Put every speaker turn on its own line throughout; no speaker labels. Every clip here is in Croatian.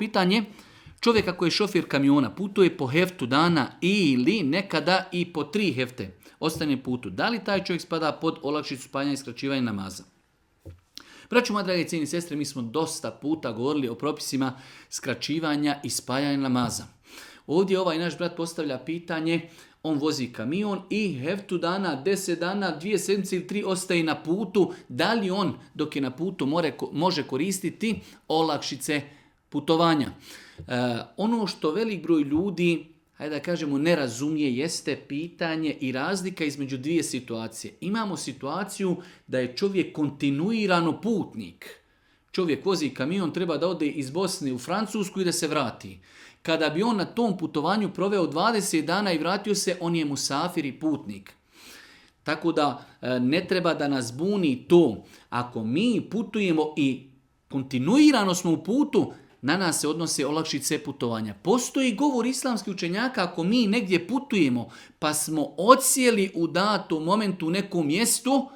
Pitanje, čovjek ako je šofir kamiona, putuje po heftu dana ili nekada i po 3 hefte, ostane putu. Da li taj čovjek spada pod olakšicu spajanja i skraćivanja namaza? Braćo moja, drage cijene i sestre, mi smo dosta puta govorili o propisima skraćivanja i spajanja namaza. Ovdje ovaj naš brat postavlja pitanje, on vozi kamion i heftu dana, 10 dana, 2 sedmice ili 3 ostaje na putu. Da li on dok je na putu može koristiti olakšice putovanja? Ono što velik broj ljudi, hajde da kažemo, ne razumije jeste pitanje i razlika između 2 situacije. Imamo situaciju da je čovjek kontinuirano putnik. Čovjek vozi kamion, treba da ode iz Bosne u Francusku i da se vrati. Kada bi on na tom putovanju proveo 20 dana i vratio se, on je musafir i putnik. Tako da ne treba da nas buni to. Ako mi putujemo i kontinuirano smo u putu, na nas se odnose olakšice putovanja. Postoji govor islamskih učenjaka, ako mi negdje putujemo pa smo odsjeli u datom momentu u nekom mjestu,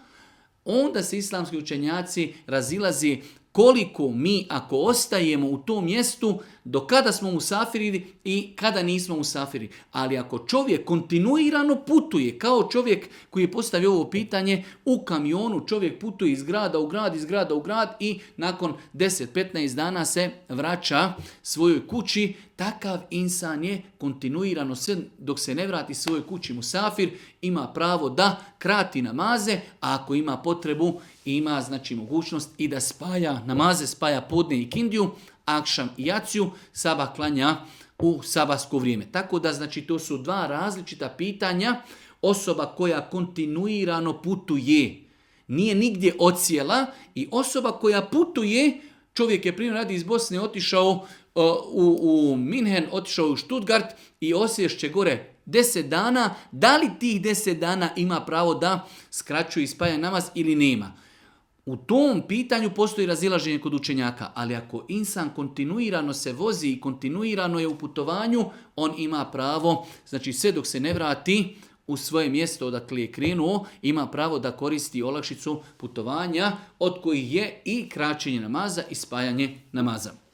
onda se islamski učenjaci razilazi koliko mi ako ostajemo u tom mjestu, do kada smo musafiri i kada nismo musafiri. Ali ako čovjek kontinuirano putuje, kao čovjek koji je postavio ovo pitanje, u kamionu čovjek putuje iz grada u grad, iz grada u grad i nakon 10-15 dana se vraća svojoj kući, takav insan je kontinuirano sve dok se ne vrati svojoj kući musafir, ima pravo da krati namaze, a ako ima potrebu, ima znači mogućnost i da spaja namaze, spaja podne i kindiju, akšam i jaciju, sabah klanja u sabahsko vrijeme. Tako da znači to su 2 različita pitanja. Osoba koja kontinuirano putuje, nije nigdje odsjela, i osoba koja putuje, čovjek je primjer radi iz Bosne otišao u Minhen, otišao u Stuttgart i osješće gore 10 dana, da li tih 10 dana ima pravo da skraćuje i spaja namaz ili nema? U tom pitanju postoji razilaženje kod učenjaka, ali ako insan kontinuirano se vozi i kontinuirano je u putovanju, on ima pravo, znači sve dok se ne vrati u svoje mjesto odakle je krenuo, ima pravo da koristi olakšicu putovanja, od kojih je i kraćenje namaza i spajanje namaza.